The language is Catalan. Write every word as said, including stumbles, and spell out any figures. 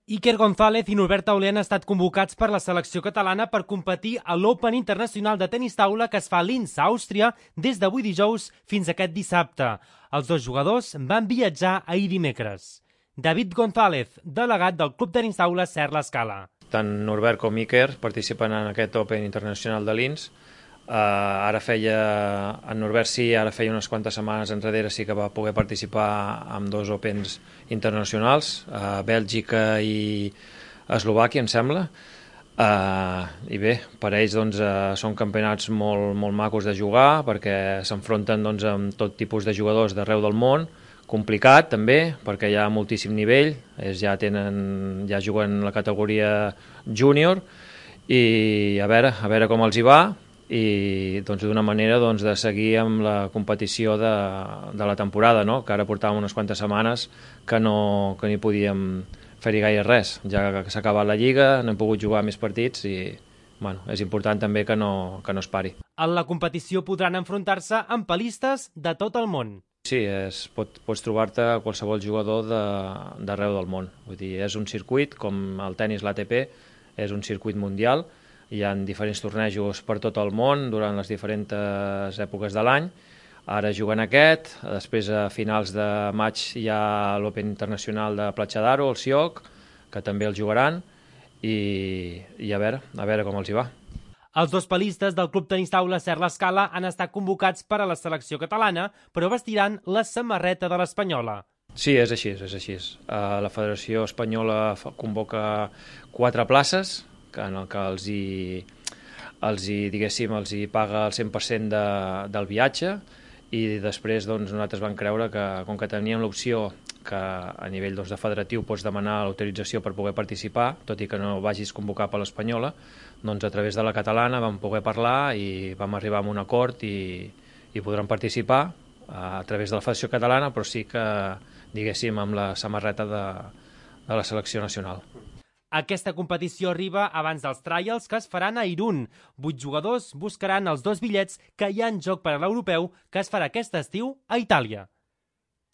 Iker González i Norbert Tauler han estat convocats per la selecció catalana per competir a l'Open Internacional de Tenis Taula que es fa a Linz, a Àustria, des d'avui dijous fins aquest dissabte. Els dos jugadors van viatjar ahir dimecres. David González, delegat del Club Tenis Taula Ser l'Escala. Tant Norbert com Iker participen en aquest Open Internacional de Linz. Uh, ara feia, en Norbert sí, ara feia unes quantes setmanes enrere sí que va poder participar en dos Opens internacionals, a uh, Bèlgica i Eslovàquia, em sembla. Uh, I bé, per ells doncs, uh, són campionats molt, molt macos de jugar, perquè s'enfronten doncs, amb tot tipus de jugadors d'arreu del món, complicat també, perquè hi ha moltíssim nivell, ells ja, tenen, ja juguen la categoria júnior, i a veure, a veure com els hi va, i doncs, d'una manera doncs, de seguir amb la competició de, de la temporada, no? Que ara portàvem unes quantes setmanes que no que ni podíem fer-hi gaire res, ja que s'ha acabat la Lliga, no hem pogut jugar més partits i bueno, és important també que no, que no es pari. En la competició podran enfrontar-se amb pelistes de tot el món. Sí, és, pot, pots trobar-te qualsevol jugador d'arreu del món. Vull dir, és un circuit, com el tennis, l'A T P, és un circuit mundial. Hi ha diferents tornejos per tot el món durant les diferents èpoques de l'any. Ara juguen aquest, després a finals de maig hi ha l'Open Internacional de Platja d'Aro, el Sioc, que també el jugaran, i, i a veure, a veure com els hi va. Els dos pelistes del Club Tenis Taula Ser l'Escala han estat convocats per a la selecció catalana, però vestiran la samarreta de l'Espanyola. Sí, és així, és així. La Federació Espanyola convoca quatre places, en el que els hi, els hi, diguéssim, els hi paga el cent per cent de, del viatge, i després doncs, nosaltres vam creure que, com que teníem l'opció que a nivell doncs, de federatiu pots demanar l'autorització per poder participar, tot i que no vagis convocar per l'Espanyola, doncs a través de la catalana vam poder parlar i vam arribar a un acord i, i podran participar a través de la Federació Catalana, però sí que, diguéssim, amb la samarreta de, de la selecció nacional. Aquesta competició arriba abans dels trials que es faran a Irún. Vuit jugadors buscaran els dos bitllets que hi ha en joc per a l'europeu que es farà aquest estiu a Itàlia.